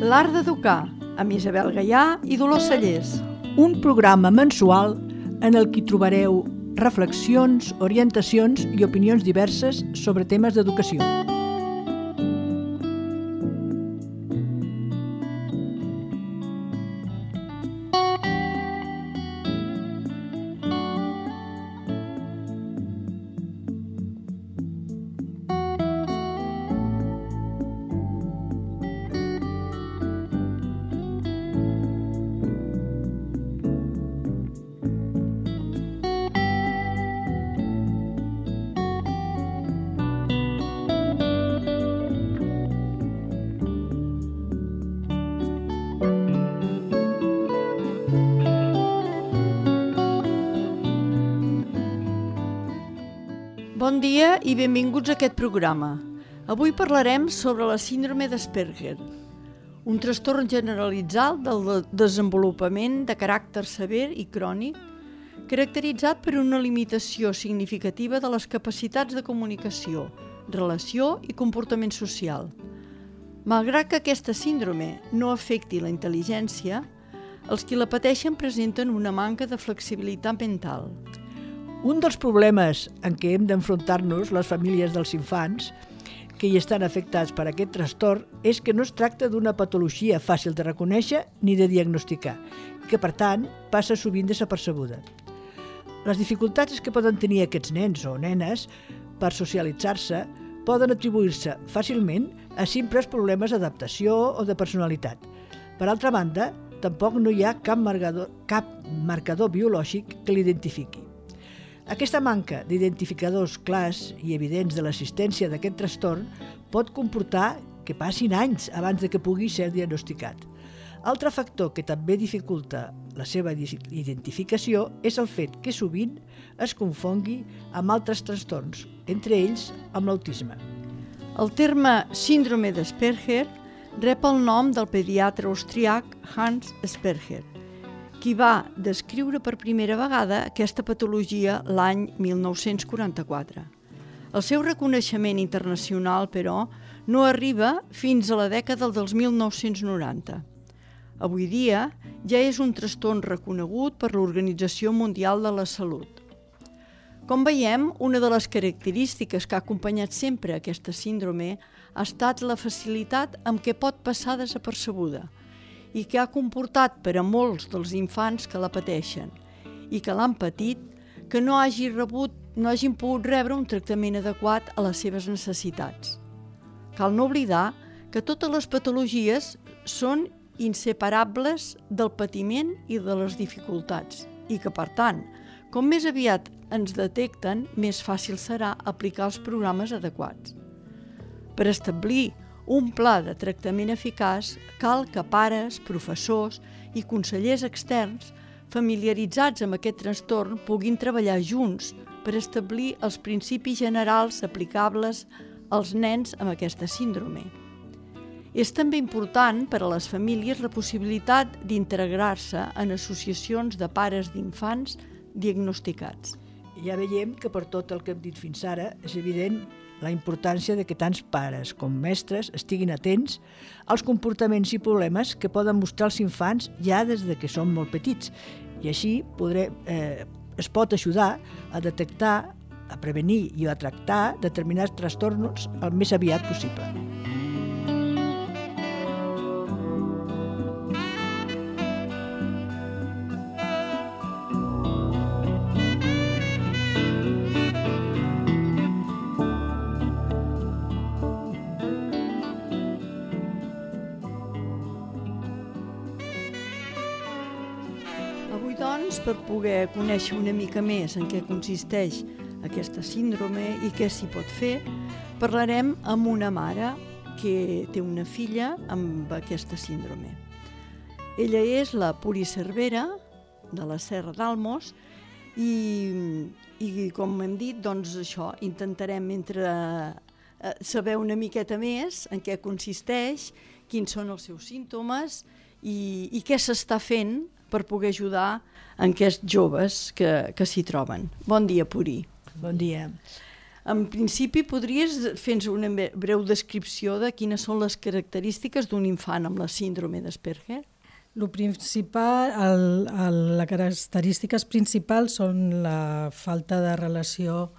L'art d'educar, amb Isabel Gaià i Dolors Cellers. Un programa mensual en el que trobareu reflexions, orientacions i opinions diverses sobre temes d'educació. Bon dia i benvinguts a aquest programa. Avui parlarem sobre la síndrome d'Asperger, un trastorn generalitzat del desenvolupament de caràcter sever i crònic, caracteritzat per una limitació significativa de les capacitats de comunicació, relació i comportament social. Malgrat que aquesta síndrome no afecti la intel·ligència, els qui la pateixen presenten una manca de flexibilitat mental. Un dels problemes en què hem d'enfrontar-nos les famílies dels infants que hi estan afectats per aquest trastorn és que no es tracta d'una patologia fàcil de reconèixer ni de diagnosticar, que per tant passa sovint desapercebuda. Les dificultats que poden tenir aquests nens o nenes per socialitzar-se poden atribuir-se fàcilment a simples problemes d'adaptació o de personalitat. Per altra banda, tampoc no hi ha cap marcador biològic que l'identifiqui. Aquesta manca d'identificadors clars i evidents de l'existència d'aquest trastorn pot comportar que passin anys abans de que pugui ser diagnosticat. Altre factor que també dificulta la seva identificació és el fet que sovint es confongui amb altres trastorns, entre ells amb l'autisme. El terme síndrome d'Asperger rep el nom del pediatre austríac Hans Asperger, qui va descriure per primera vegada aquesta patologia l'any 1944. El seu reconeixement internacional, però, no arriba fins a la dècada dels 1990. Avui dia ja és un trastorn reconegut per l'Organització Mundial de la Salut. Com veiem, una de les característiques que ha acompanyat sempre aquesta síndrome ha estat la facilitat amb què pot passar desapercebuda i que ha comportat per a molts dels infants que la pateixen i que l'han patit que no hagin pogut rebre un tractament adequat a les seves necessitats. Cal no oblidar que totes les patologies són inseparables del patiment i de les dificultats i que, per tant, com més aviat ens detecten, més fàcil serà aplicar els programes adequats. Per establir un pla de tractament eficaç, cal que pares, professors i consellers externs familiaritzats amb aquest trastorn puguin treballar junts per establir els principis generals aplicables als nens amb aquesta síndrome. És també important per a les famílies la possibilitat d'integrar-se en associacions de pares d'infants diagnosticats. Ja veiem que per tot el que hem dit fins ara és evident la importància de que tants pares com mestres estiguin atents als comportaments i problemes que poden mostrar els infants ja des de que són molt petits. I així es pot ajudar a detectar, a prevenir i a tractar determinats trastorns el més aviat possible. Avui, doncs, per poder conèixer una mica més en què consisteix aquesta síndrome i què s'hi pot fer, parlarem amb una mare que té una filla amb aquesta síndrome. Ella és la Puri Cervera, de la Serra d'Almos, i com hem dit, doncs això, intentarem saber una miqueta més en què consisteix, quins són els seus símptomes i què s'està fent per poder ajudar en aquests joves que s'hi troben. Bon dia, Puri. Bon dia. En principi, podries fer-nos una breu descripció de quines són les característiques d'un infant amb la síndrome d'Asperger? Les característiques principals són la falta de relació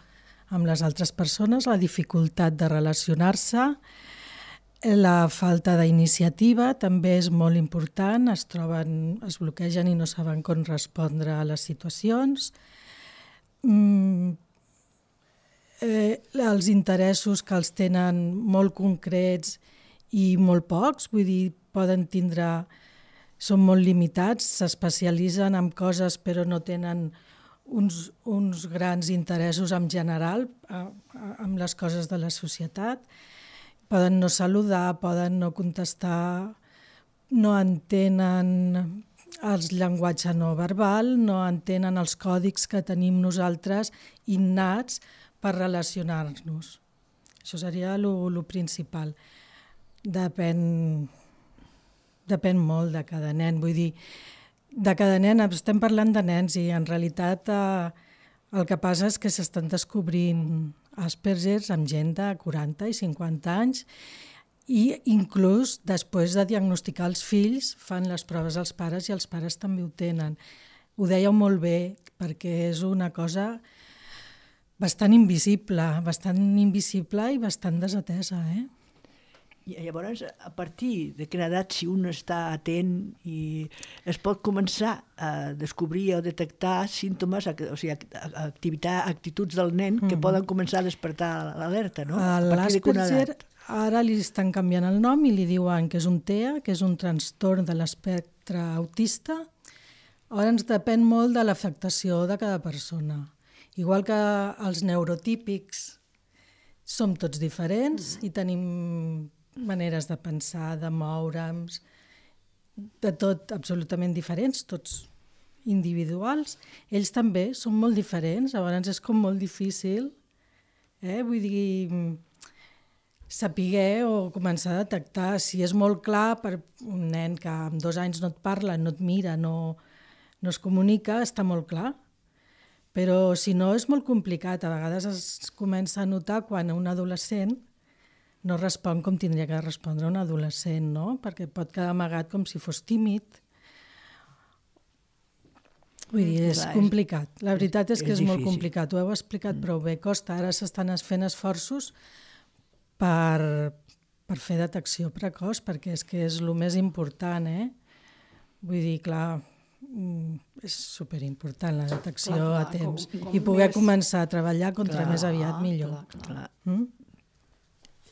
amb les altres persones, la dificultat de relacionar-se, la falta d'iniciativa també és molt important, es bloquegen i no saben com respondre a les situacions. Els interessos que els tenen molt concrets i molt pocs, vull dir, són molt limitats, s'especialitzen en coses però no tenen uns grans interessos en general amb les coses de la societat. Poden no saludar, poden no contestar, no entenen el llenguatge no verbal, no entenen els còdics que tenim nosaltres innats per relacionar-nos. Això seria el principal. Depèn molt de cada nen. Vull dir, de cada nen, estem parlant de nens i en realitat el que passa és que s'estan descobrint Asperger amb gent de 40 i 50 anys i inclús després de diagnosticar els fills fan les proves als pares i els pares també ho tenen. Ho dèieu molt bé perquè és una cosa bastant invisible i bastant desatesa, I llavors, a partir de quina edat, si un està atent i es pot començar a descobrir o detectar símptomes, o sigui, actituds del nen que poden començar a despertar l'alerta, no? L'Asperger ara li estan canviant el nom i li diuen que és un TEA, que és un trastorn de l'espectre autista. Ara ens depèn molt de l'afectació de cada persona. Igual que els neurotípics som tots diferents i tenim maneres de pensar, de moure'ns, de tot absolutament diferents, tots individuals. Ells també són molt diferents, llavors és com molt difícil, vull dir, saber o començar a detectar. Si és molt clar per un nen que amb 2 anys no et parla, no et mira, no es comunica, està molt clar. Però si no és molt complicat, a vegades es comença a notar quan un adolescent no respon com tindria que respondre un adolescent, no? Perquè pot quedar amagat com si fos tímid. Vull dir, és complicat. La veritat és que és molt complicat. Ho heu explicat prou bé. Costa, ara s'estan fent esforços per fer detecció precoç, perquè és que és el més important, Vull dir, clar, és superimportant la detecció a temps. I poder començar a treballar contra més aviat millor.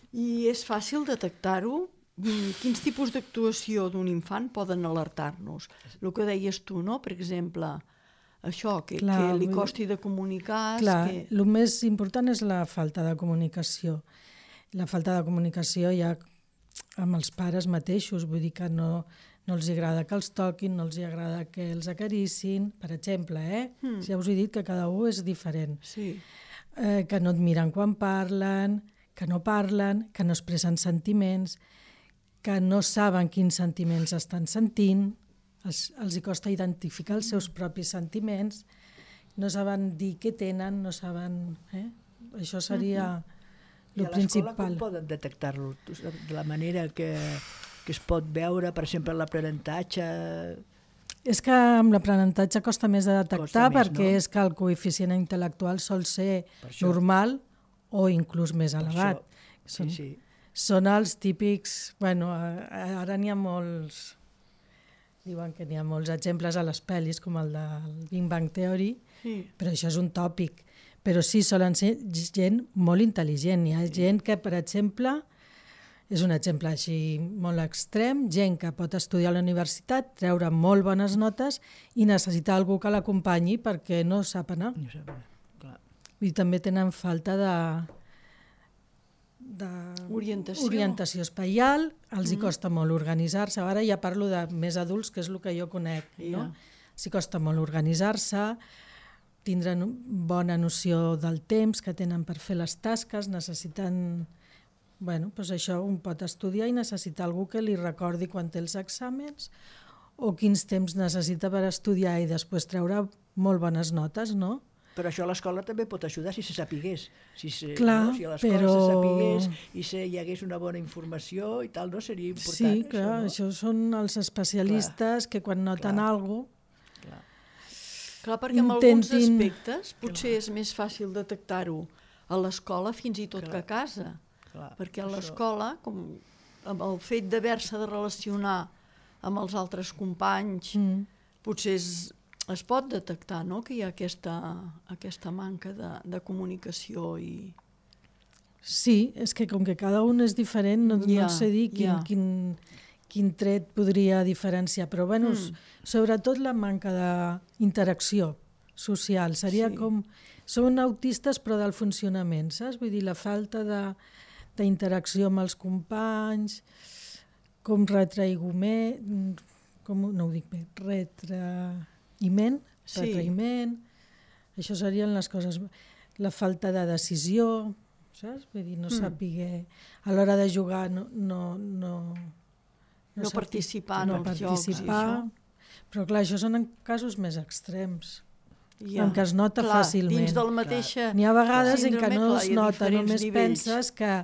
I és fàcil detectar-ho? Quins tipus d'actuació d'un infant poden alertar-nos? El que deies tu, no? Per exemple, això, que li costi de comunicar... Clar, el més important és la falta de comunicació. La falta de comunicació ja amb els pares mateixos, vull dir que no els agrada que els toquin, no els agrada que els acaricin, per exemple, Ja us he dit que cada un és diferent. Sí. Que no et miren quan parlen, que no parlen, que no expressen sentiments, que no saben quins sentiments estan sentint, els hi costa identificar els seus propis sentiments, no saben dir què tenen, no saben... Això seria el principal. I a l'escola com poden detectar-lo? De la manera que es pot veure, per exemple, l'aprenentatge... És que amb l'aprenentatge costa més de detectar perquè és que el coeficient intel·lectual sol ser normal o inclús més elevat. Són els típics... Ara n'hi ha molts... Diuen que n'hi ha molts exemples a les pel·lis, com el del Big Bang Theory, però això és un tòpic. Però sí, solen ser gent molt intel·ligent. Hi ha gent que, per exemple, és un exemple així molt extrem, gent que pot estudiar a la universitat, treure molt bones notes i necessita algú que l'acompanyi perquè no sap anar. I també tenen falta d'orientació espaial, els hi costa molt organitzar-se. Ara ja parlo de més adults, que és el que jo conec. Els hi costa molt organitzar-se, tindre bona noció del temps que tenen per fer les tasques, necessiten... doncs això un pot estudiar i necessita algú que li recordi quan té els exàmens o quins temps necessita per estudiar i després treure molt bones notes, no? Però això a l'escola també pot ajudar si se sapigués. Clar, si a l'escola se sapigués i hi hagués una bona informació i tal, no seria important. Sí, clar, això són els especialistes que quan noten alguna cosa... Clar, perquè en alguns aspectes potser és més fàcil detectar-ho a l'escola fins i tot que a casa. Perquè a l'escola, com amb el fet d'haver-se de relacionar amb els altres companys, potser es pot detectar, no?, que hi ha aquesta manca de comunicació i... Sí, és que com que cada un és diferent, no sé dir quin tret podria diferenciar, però bueno, sobretot la manca d'interacció social, seria com... Són autistes però del funcionament, saps? Vull dir, la falta d'interacció amb els companys, com retraïment, no ho dic bé, retraïment, això serien les coses, la falta de decisió, saps? Vull dir, no saber, a l'hora de jugar no participar en els jocs i això. Però clar, això són en casos més extrems, en què es nota fàcilment. Dins del mateixa... N'hi ha vegades en què no es nota, només penses que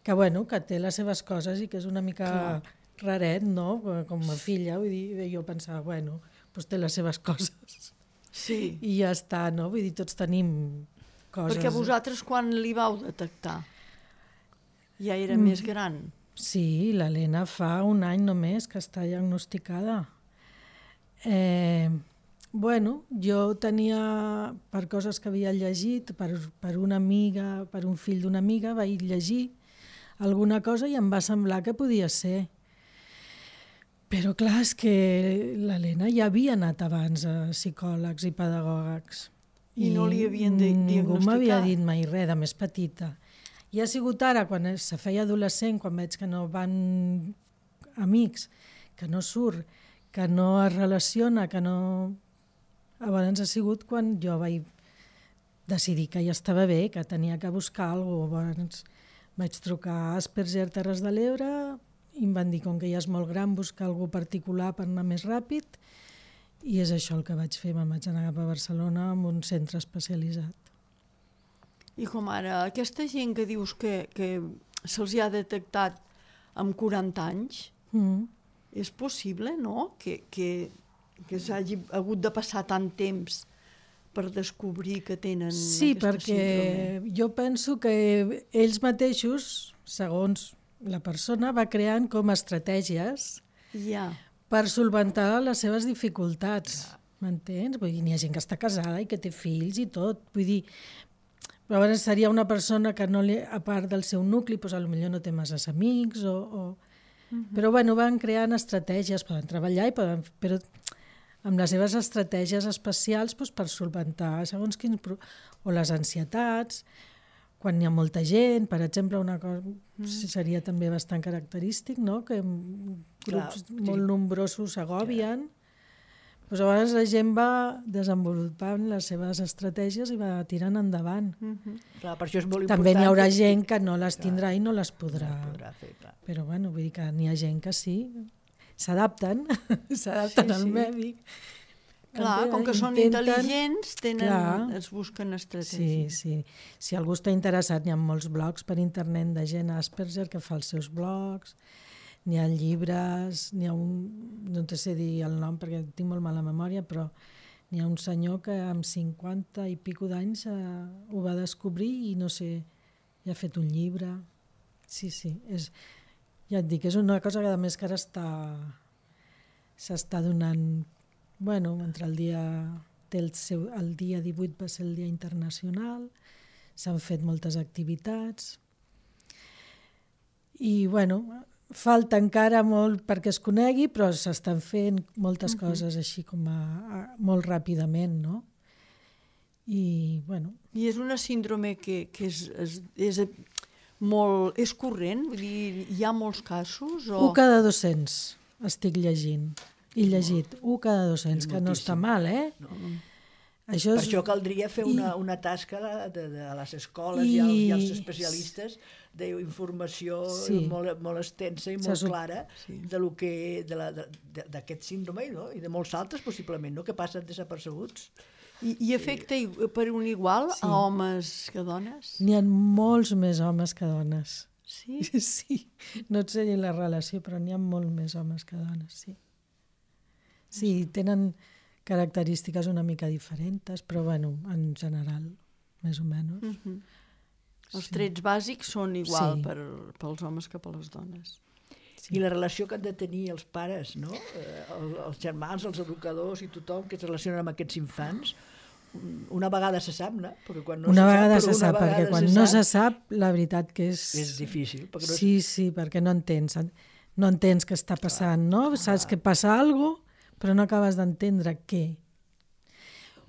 té les seves coses i que és una mica raret, no? Com a filla, vull dir, jo pensava, doncs té les seves coses. Sí. I ja està, no? Vull dir, tots tenim coses. Perquè vosaltres quan li vau detectar? Ja era més gran? Sí, l'Helena fa un any només que està diagnosticada. Jo tenia, per coses que havia llegit, per una amiga, per un fill d'una amiga, vaig llegir alguna cosa i em va semblar que podia ser. Però clar, és que l'Helena ja havia anat abans a psicòlegs i pedagògics. I no li havien diagnosticat? Ningú m'havia dit mai res, de més petita. I ha sigut ara, quan se feia adolescent, quan veig que no van amics, que no surt, que no es relaciona, que no... Abans ha sigut quan jo vaig decidir que ja estava bé, que tenia que buscar alguna cosa. Abans vaig trucar a Asperger Terres de l'Ebre i em van dir, com que ja és molt gran, buscar algú particular per anar més ràpid, i és això el que vaig fer. Me'n vaig anar cap a Barcelona amb un centre especialitzat. I com ara, aquesta gent que dius que se'ls ha detectat amb 40 anys, és possible, no?, que s'hagi hagut de passar tant temps per descobrir que tenen aquesta síndrome. Sí, perquè jo penso que ells mateixos, segons la persona, va creant com estratègies per solventar les seves dificultats. M'entens? Vull dir, n'hi ha gent que està casada i que té fills i tot. Vull dir, però llavors seria una persona que no a part del seu nucli, doncs potser no té massa amics però van creant estratègies, poden treballar però amb les seves estratègies especials per solventar segons quins... O les ansietats, quan hi ha molta gent, per exemple, una cosa seria també bastant característic, no?, que grups molt nombrosos s'agòbien. Doncs llavors la gent va desenvolupant les seves estratègies i va tirant endavant. Clar, per això és molt important. També n'hi haurà gent que no les tindrà i no les podrà fer. Però vull dir que n'hi ha gent que sí, s'adapten al mèdic. Clar, com que són intel·ligents, es busquen estratègies. Sí. Si algú està interessat, n'hi ha molts blogs per internet de gent Asperger que fa els seus blogs, n'hi ha llibres, n'hi ha no te sé dir el nom perquè tinc molt mala memòria, però n'hi ha un senyor que amb 50 i pico d'anys ho va descobrir i no sé, ja ha fet un llibre. Sí, ja et dic, és una cosa que a més que ara s'està donant, entre el dia 18 va ser el dia internacional, s'han fet moltes activitats i falta encara molt perquè es conegui, però s'estan fent moltes coses així com molt ràpidament, no? I és una síndrome que és corrent? Vull dir, hi ha molts casos? 1 cada 200 estic llegint. I llegit, 1 cada 200, que no està mal, No. Per això caldria fer una tasca a les escoles i als especialistes d'informació molt extensa i molt clara d'aquest síndrome i de molts altres, possiblement, que passen desapercebuts. I afecta per un igual a homes que a dones? N'hi ha molts més homes que dones. Sí? Sí, no et sé dir la relació, però n'hi ha molt més homes que dones, sí. Sí, tenen característiques una mica diferents, però bueno, en general, més o menys. Els trets bàsics són igual pels homes que per les dones. Sí. I la relació que han de tenir els pares, no? Els germans, els educadors i tothom que es relacionen amb aquests infants, una vegada se sap, no? Perquè quan no una se vegada sap, se sap, perquè quan no se sap, la veritat que és... És difícil. Perquè no és... Sí, perquè no entens què està passant, no? Saps que passa alguna cosa, però no acabes d'entendre què.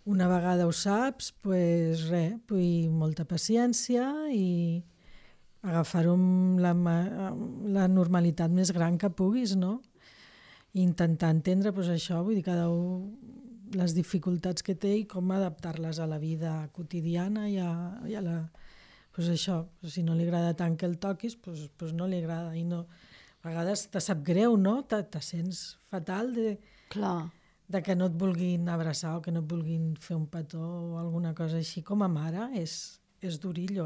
Una vegada ho saps, doncs res, molta paciència i agafar-ho amb la normalitat més gran que puguis, no? I intentar entendre això, vull dir, cada un les dificultats que té i com adaptar-les a la vida quotidiana i a la... això, si no li agrada tant que el toquis, no li agrada. I no, a vegades te sap greu, no? Te sents fatal de que no et vulguin abraçar o que no et vulguin fer un petó o alguna cosa així. Com a mare és durillo,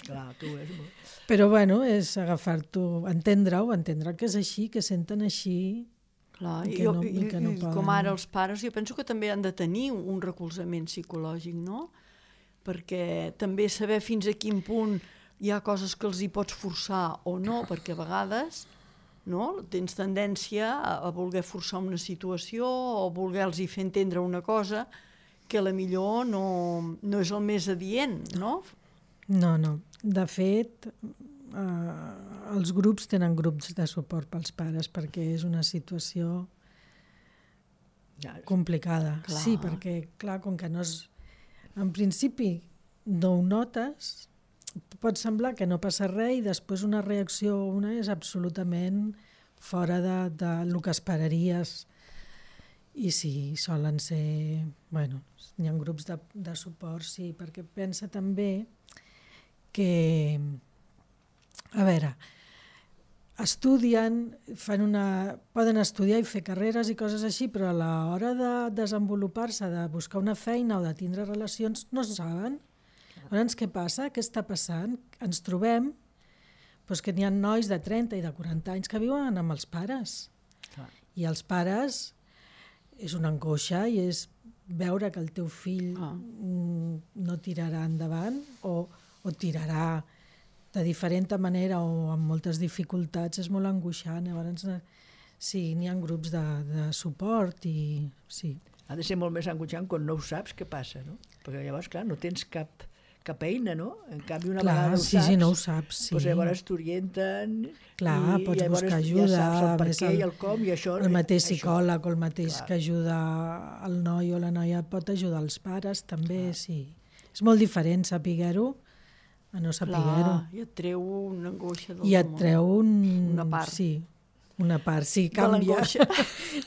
Clar, tu és molt... Però bueno, és agafar-t'ho, entendre que és així, que senten així. Clar, i com ara els pares, jo penso que també han de tenir un recolzament psicològic, no? Perquè també saber fins a quin punt hi ha coses que els hi pots forçar o no, perquè a vegades tens tendència a voler forçar una situació o voler-los fer entendre una cosa que a la millor no és el més adient, no? No. De fet, els grups tenen grups de suport pels pares perquè és una situació complicada. Clar. Sí, perquè, clar, com que no és... En principi no ho notes, pot semblar que no passa res i després una reacció és absolutament fora del que esperaries. I sí, solen ser... Bueno, hi ha grups de suport, sí, perquè pensa també que... A veure, estudien, poden estudiar i fer carreres i coses així, però a l'hora de desenvolupar-se, de buscar una feina o de tindre relacions, no saben. Llavors, què passa? Què està passant? Ens trobem que n'hi ha nois de 30 i de 40 anys que viuen amb els pares. I els pares és una angoixa i és veure que el teu fill no tirarà endavant o tirarà de diferent manera o amb moltes dificultats, és molt angoixant. Llavors, sí, n'hi ha grups de suport i sí. Ha de ser molt més angoixant quan no ho saps què passa, no? Perquè llavors, clar, no tens cap eina, no? En canvi, una vegada ho saps, no ho saps, sí. Doncs llavors t'orienten pots buscar ajuda, ja saps el per què i el com i això. El mateix psicòleg o el mateix que ajuda el noi o la noia pot ajudar els pares, també, sí. És molt diferent saber-ho a no saber-ho. I et treu una angoixa del I et treu una part. Sí, una part, sí, canvia.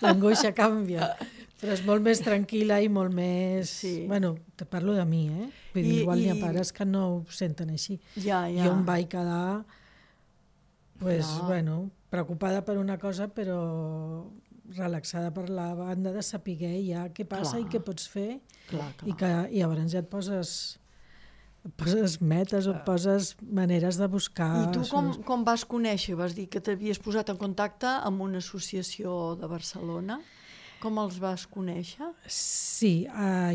L'angoixa canvia. Però és molt més tranquil·la i molt més... Sí. Bueno, te parlo de mi, Vull dir, igual hi ha pares que no ho senten així. Ja. Jo em vaig quedar preocupada per una cosa, però relaxada per la banda de saber ja què passa i què pots fer. I llavors ja et poses metes o et poses maneres de buscar... I tu com vas conèixer? Vas dir que t'havies posat en contacte amb una associació de Barcelona. Com els vas conèixer? Sí,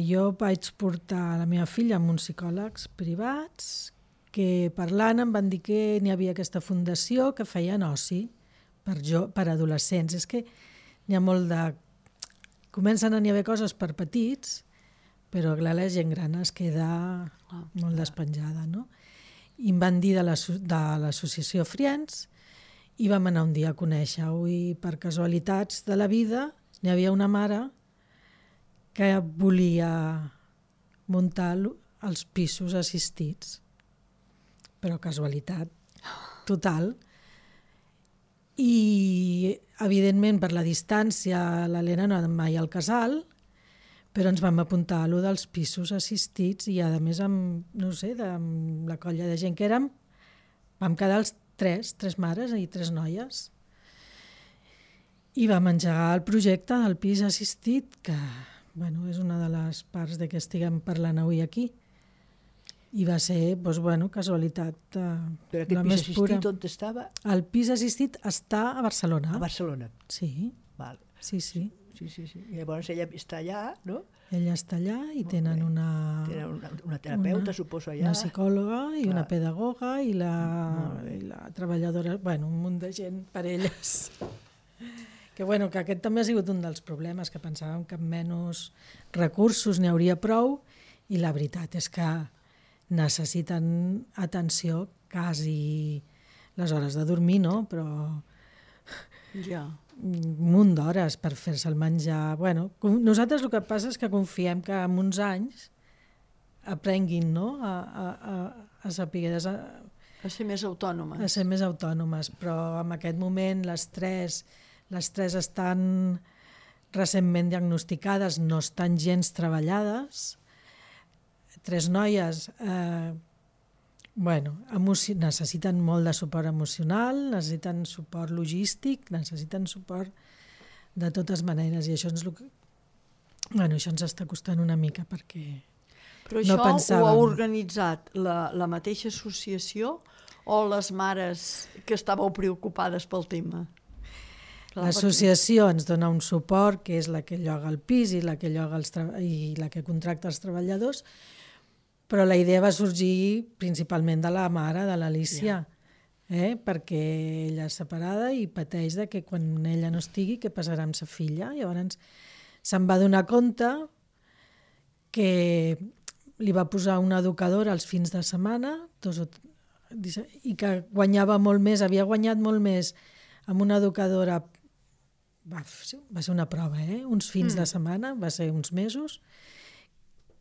jo vaig portar la meva filla amb uns psicòlegs privats que parlant em van dir que n'hi havia aquesta fundació que feien oci per adolescents. És que n'hi ha molt de... Comencen a n'hi haver coses per petits, però clar, la gent gran es queda molt despenjada, no? I em van dir de l'associació Friends i vam anar un dia a conèixer-ho i per casualitats de la vida n'hi havia una mare que volia muntar els pisos assistits, però casualitat total. I evidentment per la distància l'Helena no ha anat mai al casal, però ens vam apuntar a allò dels pisos assistits i a més amb la colla de gent que érem, vam quedar els tres mares i 3 noies. I vam engegar el projecte del pis assistit que, bueno, és una de les parts de que estiguem parlant avui aquí. I va ser, doncs, bueno, casualitat Però aquest la pis més pura. assistit on estava? El pis assistit està a Barcelona. A Barcelona. Sí, Val. sí, sí. Sí. I llavors ella està allà, no? Ella està allà i tenen Tenen una terapeuta, suposo, allà. Una psicòloga i Clar. una pedagoga i Molt bé. la treballadora, bueno, un munt de gent per elles. Que aquest també ha sigut un dels problemes, que pensàvem que amb menys recursos n'hi hauria prou, i la veritat és que necessiten atenció quasi les hores de dormir, no? Però Ja. un munt d'hores per fer-se el menjar. Bueno, nosaltres el que passa és que confiem que en uns anys aprenguin, no? A saber A ser més autònomes. a ser més autònomes, però en aquest moment les tres estan recentment diagnosticades, no estan gens treballades. 3 noies necessiten molt de suport emocional, necessiten suport logístic, necessiten suport de totes maneres, i això ens està costant una mica, perquè Però no això pensàvem. ho ha organitzat la mateixa associació o les mares que estàveu preocupades pel tema? L'associació ens dona un suport, que és la que lloga el pis i la que contracta els treballadors, però la idea va sorgir principalment de la mare, de l'Alícia, perquè ella és separada i pateix de que quan ella no estigui, què passarà amb sa filla? Llavors se'n va donar compte que li va posar una educadora als fins de setmana i que guanyava molt més, havia guanyat molt més amb una educadora. Va ser una prova, uns fins de setmana, va ser uns mesos,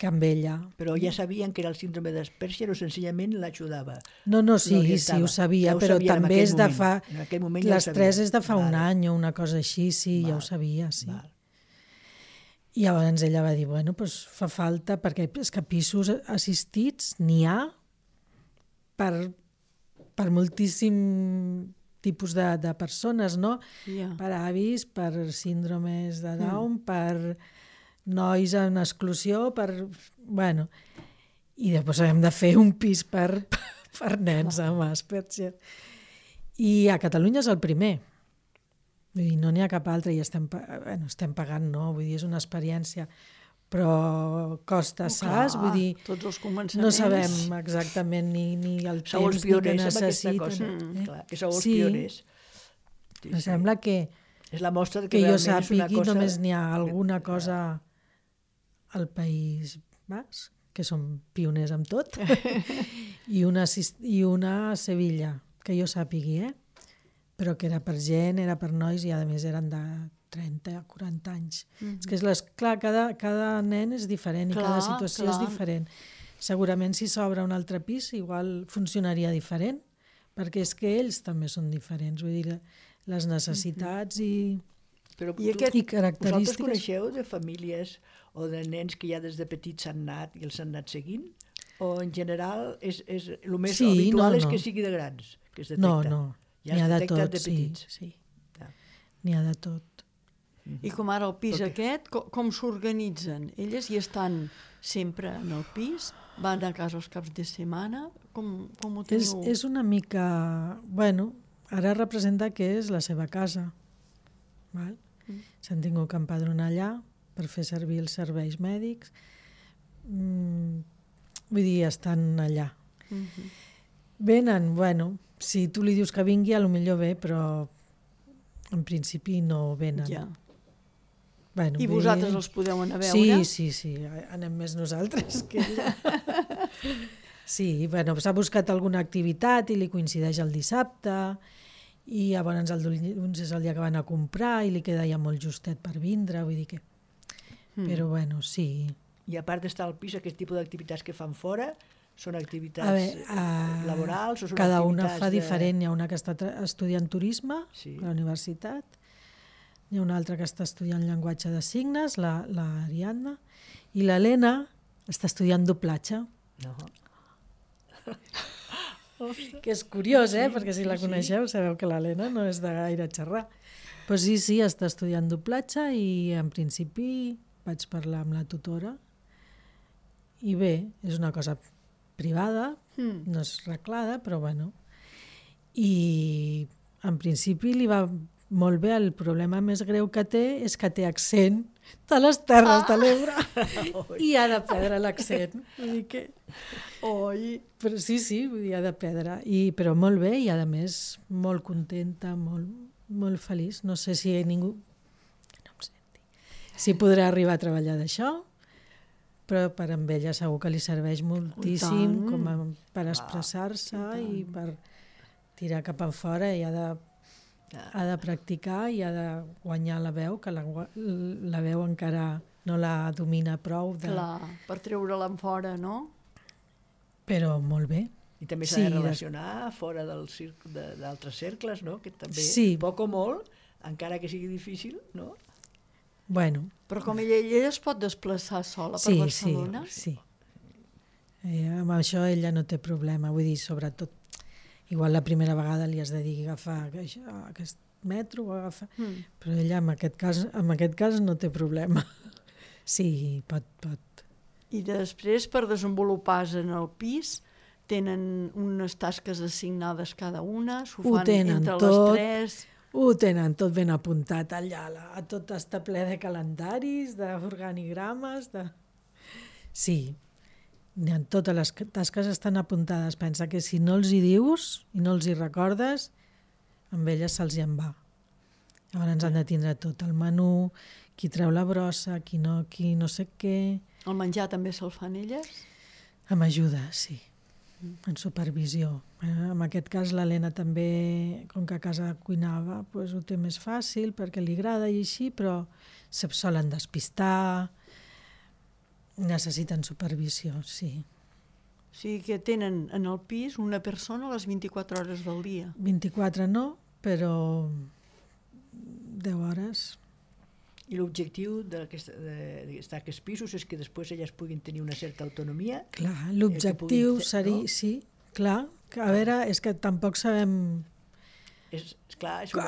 que amb ella. Però ja sabien que era el síndrome d'Asperger o senzillament l'ajudava? No, sí, ho sabia, però també és de fa... Les 3 és de fa un any o una cosa així, sí, ja ho sabia, sí. I llavors ella va dir, bueno, doncs fa falta, perquè és que pisos assistits n'hi ha per moltíssim tipus de persones, no? Per avis, per síndromes de Down, per nois en exclusió, bueno, i després hem de fer un pis per nens amb Asperger. I a Catalunya és el primer. Vull dir, no n'hi ha cap altre i estem pagant, no? Vull dir, és una experiència, però costa, saps? Vull dir, tots els començaments. No sabem exactament ni el temps ni que necessiten. Que sou els pioners. Em sembla que és la mostra que jo sàpigui només n'hi ha alguna cosa al País Basc, que som pioners amb tot, i una a Sevilla, que jo sàpigui, però que era per gent, era per nois i a més eren de 30 a 40 anys. És que, clar, cada nen és diferent i cada situació és diferent. Segurament si s'obre un altre pis igual funcionaria diferent, perquè és que ells també són diferents, vull dir, les necessitats i característiques. Vosaltres coneixeu de famílies o de nens que ja des de petits s'han anat i els han anat seguint? O en general el més habitual és que sigui de grans, que es detecta? No, n'hi ha de tot, sí. N'hi ha de tot. I com ara el pis aquest, com s'organitzen? Elles hi estan sempre en el pis? Van a casa els caps de setmana? Com ho teniu? És una mica... Bueno, ara representa que és la seva casa. S'han tingut que empadronar allà per fer servir els serveis mèdics. Vull dir, estan allà. Venen, bueno, si tu li dius que vingui, potser ve, però en principi no venen. Ja. I vosaltres els podeu anar a veure? Sí, anem més nosaltres que ella. Sí, bueno, s'ha buscat alguna activitat i li coincideix el dissabte, i llavors el dilluns és el dia que van a comprar i li queda ja molt justet per vindre, vull dir que... Però bueno, sí. I a part d'estar al pis, aquest tipus d'activitats que fan fora són activitats laborals? O són cada una activitats fa diferent. Hi ha una que està estudiant turisme a la universitat, hi ha una altra que està estudiant llenguatge de signes, l'Ariadna, i l'Helena està estudiant doblatge. Que és curiós, perquè si la coneixeu sabeu que l'Helena no és de gaire xerrar. Però sí, està estudiant doblatge i en principi vaig parlar amb la tutora i bé, és una cosa privada, no és reglada, però bueno. I en principi li va molt bé. El problema més greu que té és que té accent de les Terres de l'Ebre i ha de perdre l'accent. Vull dir que... Però sí, vull dir, ha de perdre. Però molt bé i, a més, molt contenta, molt feliç. No sé si ningú... No em senti. Si podrà arribar a treballar d'això, però per amb ella segur que li serveix moltíssim per expressar-se i per tirar cap enfora i ha de practicar i ha de guanyar la veu, que la veu encara no la domina prou. Clar, per treure-la en fora, no? Però molt bé. I també s'ha de relacionar fora d'altres cercles, no? Que també, poc o molt, encara que sigui difícil, no? Bueno. Però com ella es pot desplaçar sola per Barcelona? Sí. Amb això ella no té problema, vull dir, sobretot igual la primera vegada li has de dir agafar aquest metro o agafar... Però ella en aquest cas no té problema. Sí, pot. I després, per desenvolupar-se en el pis, tenen unes tasques assignades cada una, s'ho fan entre les tres... Ho tenen tot ben apuntat allà, tot està ple de calendaris, d'organigrames, Sí, totes les tasques estan apuntades. Pensa que si no els hi dius i no els hi recordes, amb elles se'ls en va. Llavors han de tindre tot el menú, qui treu la brossa, qui no sé què... El menjar també se'l fan elles? Amb ajuda, sí. En supervisió. En aquest cas l'Helena també, com que a casa cuinava, doncs ho té més fàcil perquè li agrada i així, però se solen despistar, necessiten supervisió, sí. O sigui que tenen en el pis una persona a les 24 hores del dia. 24 no, però 10 hores. I l'objectiu d'aquests pisos és que després elles puguin tenir una certa autonomia? Clar, l'objectiu seria... No? Sí, clar. A veure, és que tampoc sabem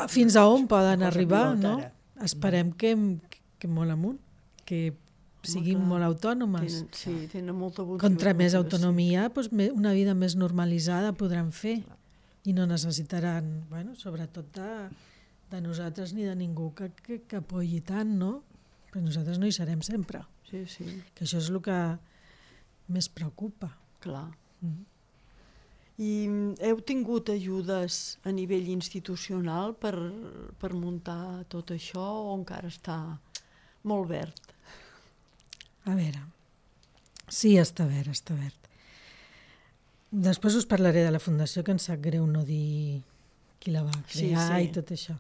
fins a on poden arribar, no? Esperem que molt amunt, que siguin molt autònomes. Tenen molta motivació. Contra més autonomia, una vida més normalitzada podran fer i no necessitaran, sobretot de nosaltres ni de ningú que apoyi tant, no? Però nosaltres no hi serem sempre. Sí. Que això és el que més preocupa. Clar. I heu tingut ajudes a nivell institucional per muntar tot això o encara està molt verd? A veure, sí, està verd. Després us parlaré de la fundació, que em sap greu no dir qui la va crear i tot això.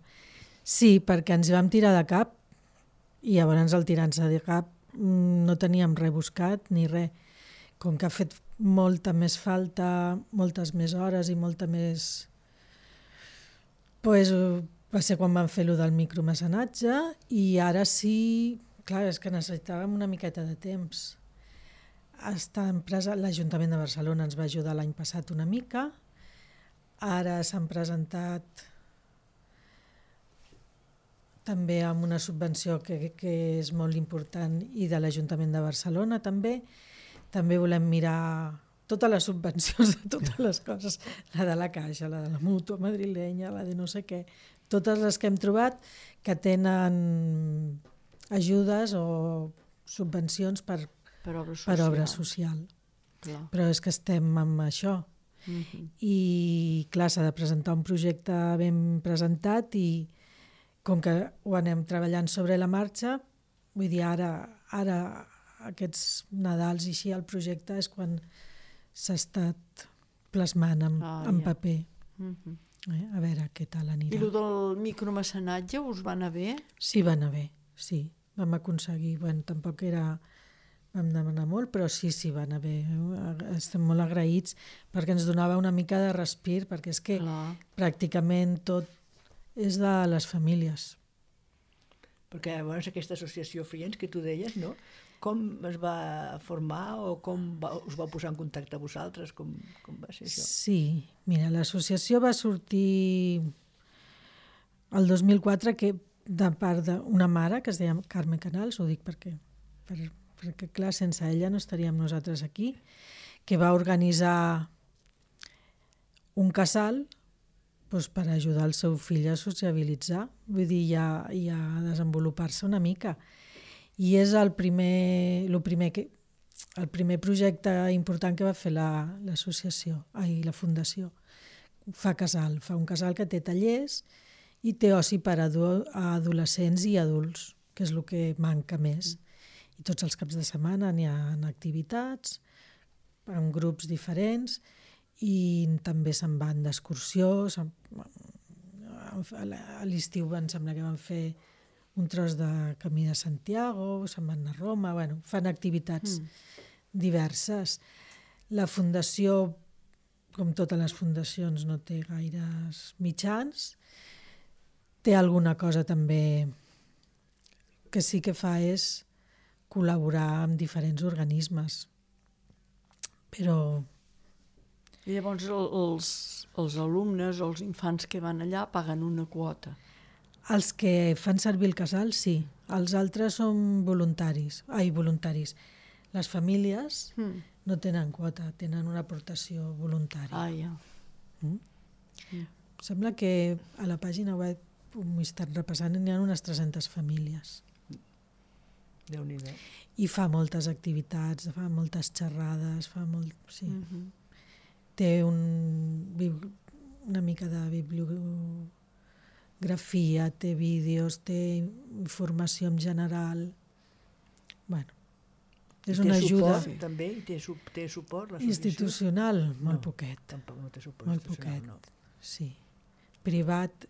Sí, perquè ens hi vam tirar de cap i llavors al tirar-nos de cap no teníem res buscat ni res. Com que ha fet molta més falta, moltes més hores i molta més... va ser quan vam fer allò del micromecenatge i ara sí, clar, és que necessitàvem una miqueta de temps. L'Ajuntament de Barcelona ens va ajudar l'any passat una mica, ara s'han presentat també amb una subvenció que és molt important i de l'Ajuntament de Barcelona també. També volem mirar totes les subvencions de totes les coses, la de la Caixa, la de la Mútua madrilenya, la de no sé què, totes les que hem trobat que tenen ajudes o subvencions per obra social. Clar. Però és que estem amb això. I clar, s'ha de presentar un projecte ben presentat i com que ho anem treballant sobre la marxa, vull dir, ara aquests Nadals i així el projecte és quan s'ha estat plasmant en paper. A veure què tal anirà. I el del micromecenatge us va anar bé? Sí, va anar bé, sí. Vam aconseguir, tampoc vam demanar molt, però sí, va anar bé. Estem molt agraïts perquè ens donava una mica de respir, perquè és que pràcticament tot és de les famílies. Perquè llavors aquesta associació Friends que tu deies, no? Com es va formar o com us va posar en contacte a vosaltres? Com va ser això? Sí, mira, l'associació va sortir el 2004 de part d'una mare que es deia Carme Canals, ho dic perquè perquè clar, sense ella no estaríem nosaltres aquí, que va organitzar un casal per ajudar el seu fill a sociabilitzar, vull dir, i a desenvolupar-se una mica. I és el primer projecte important que va fer l'associació, la fundació. Fa un casal que té tallers i té oci per a adolescents i adults, que és el que manca més. I tots els caps de setmana n'hi ha activitats, en grups diferents, i també se'n van d'excursió. A l'estiu em sembla que van fer un tros de Camí de Santiago, se'n van a Roma, fan activitats diverses. La fundació, com totes les fundacions, no té gaires mitjans. Té alguna cosa també que sí que fa és col·laborar amb diferents organismes. Però... I llavors els alumnes o els infants que van allà paguen una quota. Els que fan servir el casal, sí. Els altres són voluntaris. Les famílies no tenen quota, tenen una aportació voluntària. Sembla que a la pàgina web, m'ho he estat repassant, n'hi ha unes 300 famílies. Déu-n'hi-do. I fa moltes activitats, fa moltes xerrades, sí. Té una mica de bibliografia, té vídeos, té informació en general. És una ajuda. També té suport institucional, molt poquet. Tampoc no té suport molt institucional, poquet, sí. Privat,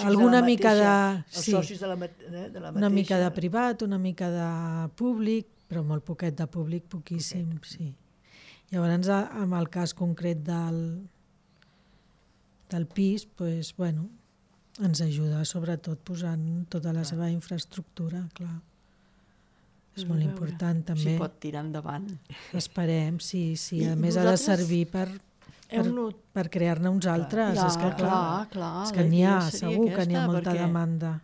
alguna mica de... Els socis de la mateixa... Una mica de privat, una mica de públic, però molt poquet de públic, poquíssim, sí. Llavors, amb el cas concret del pis, ens ajuda sobretot posant tota la seva infraestructura, clar. És molt important també. Si pot tirar endavant. Esperem, sí. A més ha de servir per crear-ne uns altres. És que clar, és que n'hi ha, segur que n'hi ha molta demanda.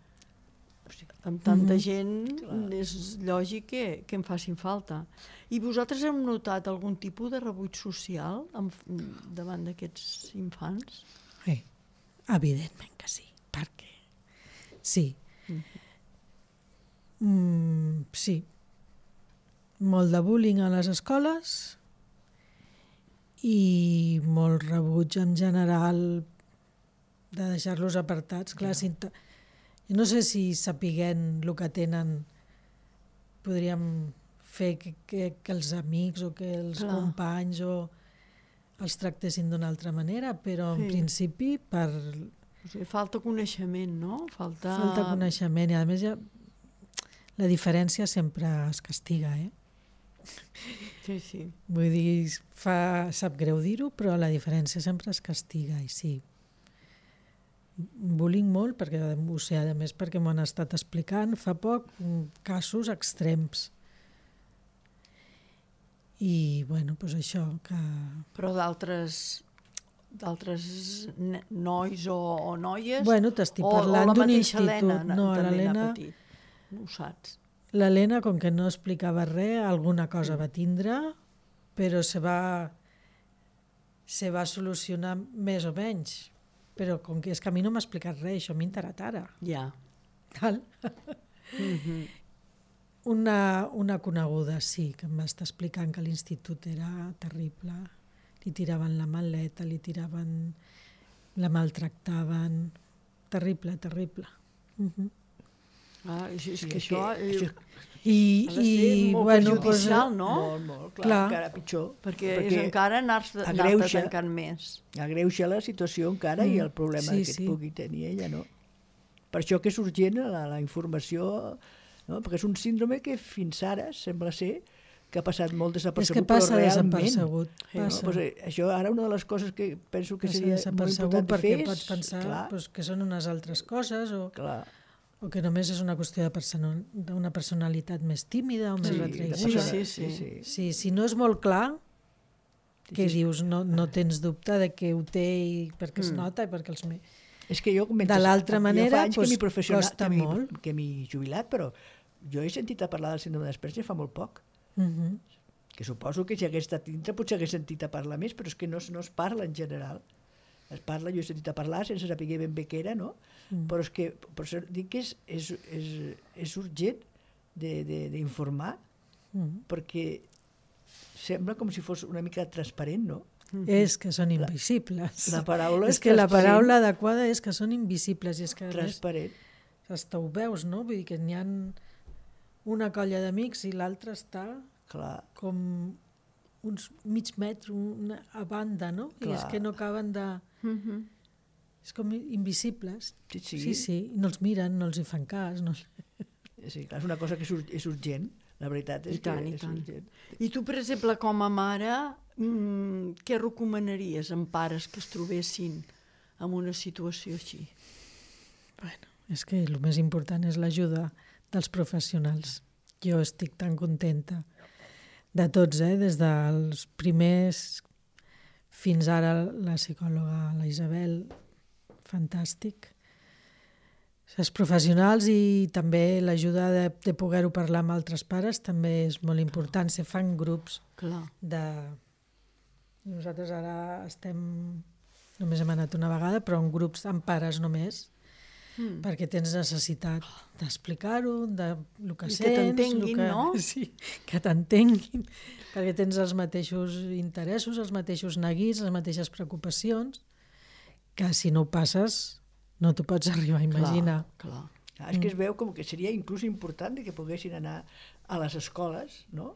Amb tanta gent és lògic que en facin falta. I vosaltres heu notat algun tipus de rebuig social davant d'aquests infants? Evidentment que sí, perquè sí. Sí. Molt de bullying a les escoles i molt rebuig en general de deixar-los apartats. Clar, no sé si sapiguent el que tenen podríem fer que els amics o que els companys els tractessin d'una altra manera, però en principi falta coneixement, no? Falta coneixement, i a més la diferència sempre es castiga, Sí. Vull dir, sap greu dir-ho, però la diferència sempre es castiga, i sí. Bullying molt, perquè ho sé, a més perquè m'ho han estat explicant fa poc, casos extrems. I, això que... Però d'altres nois o noies? T'estic parlant d'un institut. No, l'Helena Petit, no ho saps. L'Helena, com que no explicava res, alguna cosa va tindre, però se va solucionar més o menys. Però com que és que a mi no m'ha explicat res, això m'ha enterat ara. Ja. Cal? Una coneguda, sí, que em va estar explicant que l'institut era terrible. Li tiraven la maleta, la maltractaven. Terrible. És que això... I molt perjudicial, no? Molt, clar, encara pitjor. Perquè és encara anar-te tancant més. Agreuja la situació encara i el problema que pugui tenir ella, no? Per això que és urgent la informació, no? Perquè és un síndrome que fins ara sembla ser que ha passat molt desapercebut, però realment... Això ara una de les coses que penso que seria molt important de fer és... Perquè pots pensar que són unes altres coses o que només és una qüestió d'una personalitat més tímida o més retraïda. Sí. Si no és molt clar, que dius, no tens dubte de que ho té perquè es nota i perquè els... És que jo de l'altra manera costa molt. Que m'he jubilat, però Jo he sentit a parlar del síndrome d'Asperger fa molt poc, que suposo que si hagués estat dintre potser hagués sentit a parlar més, però és que no es parla en general. Es parla, jo he sentit a parlar sense saber ben bé què era, no? Però és que, per això dic que és urgent d'informar, perquè sembla com si fos una mica transparent, no? És que són invisibles. La paraula és que la paraula adequada és que són invisibles. I és que transparent. Hasta ho veus, no? Vull dir que n'hi ha una colla d'amics i l'altra està com uns mig metre a banda, no? I és que no acaben de... És com invisibles. Sí. I no els miren, no els hi fan cas. No... Sí, clar, és una cosa que és urgent. La veritat és que és urgent. I tu, per exemple, com a mare, què recomanaries en pares que es trobessin en una situació així? Bueno, és que el més important és l'ajuda dels professionals. Jo estic tan contenta de tots, des dels primers fins ara la psicòloga, la Isabel, fantàstic. Els professionals i també l'ajuda de poder-ho parlar amb altres pares també és molt important. Se fan grups de... Nosaltres ara només hem anat una vegada, però en grups amb pares només, perquè tens necessitat d'explicar-ho, del que sents... I que t'entenguin, no? Sí, que t'entenguin, perquè tens els mateixos interessos, els mateixos neguits, les mateixes preocupacions, que si no ho passes... no t'ho pots arribar a imaginar. Clar. És que es veu com que seria inclús important que poguessin anar a les escoles, no?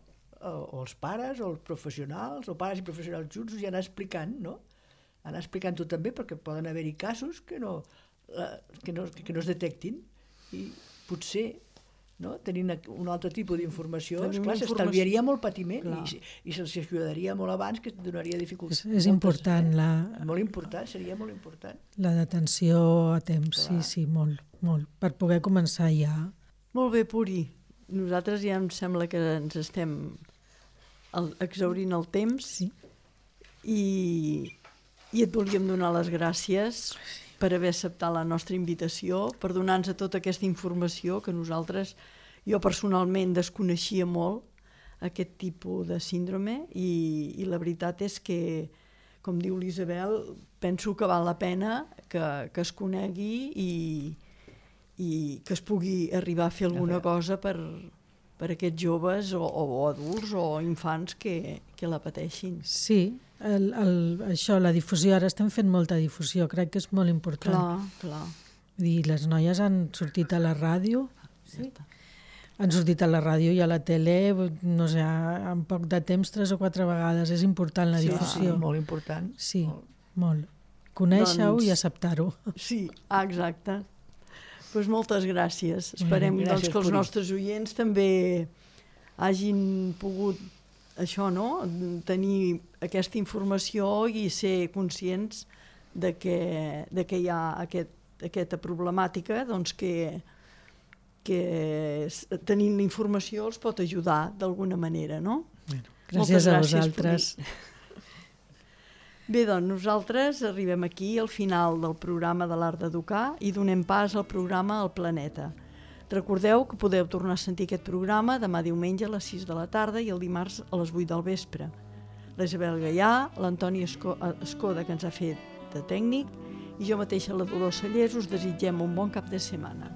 O els pares, o els professionals, o pares i professionals junts, i anar explicant, no? Anar explicant-ho també, perquè poden haver-hi casos que no es detectin, i potser tenint un altre tipus d'informació, s'estalviaria molt patiment i se'ls ajudaria molt abans, que donaria dificultats. És important. Molt important, seria molt important. La detenció a temps, sí, molt, molt, per poder començar ja. Molt bé, Puri. Nosaltres ja em sembla que ens estem exhaurint el temps i et volíem donar les gràcies per haver acceptat la nostra invitació, per donar-nos tota aquesta informació que nosaltres, jo personalment desconeixia molt aquest tipus de síndrome i la veritat és que, com diu l'Isabel, penso que val la pena que es conegui i que es pugui arribar a fer alguna cosa per aquests joves o adults o infants que la pateixin. Sí, això, la difusió, ara estem fent molta difusió, crec que és molt important. Clar. I les noies han sortit a la ràdio, han sortit a la ràdio i a la tele, no sé, en poc de temps, 3 o 4 vegades. És important la difusió. Sí, molt important. Sí, molt. Conèixer-ho i acceptar-ho. Sí, exacte. Doncs moltes gràcies. Esperem que els nostres oients també hagin pogut tenir aquesta informació i ser conscients de que hi ha aquesta problemàtica, doncs que tenint la informació els pot ajudar d'alguna manera, no? Gràcies a vosaltres. Bé, doncs nosaltres arribem aquí al final del programa de l'Art d'Educar i donem pas al programa El Planeta. Recordeu que podeu tornar a sentir aquest programa demà diumenge a les 6 de la tarda i el dimarts a les 8 del vespre. La Isabel Gaià, l'Antoni Escoda, que ens ha fet de tècnic, i jo mateixa, la Dolors Cellers, us desitgem un bon cap de setmana.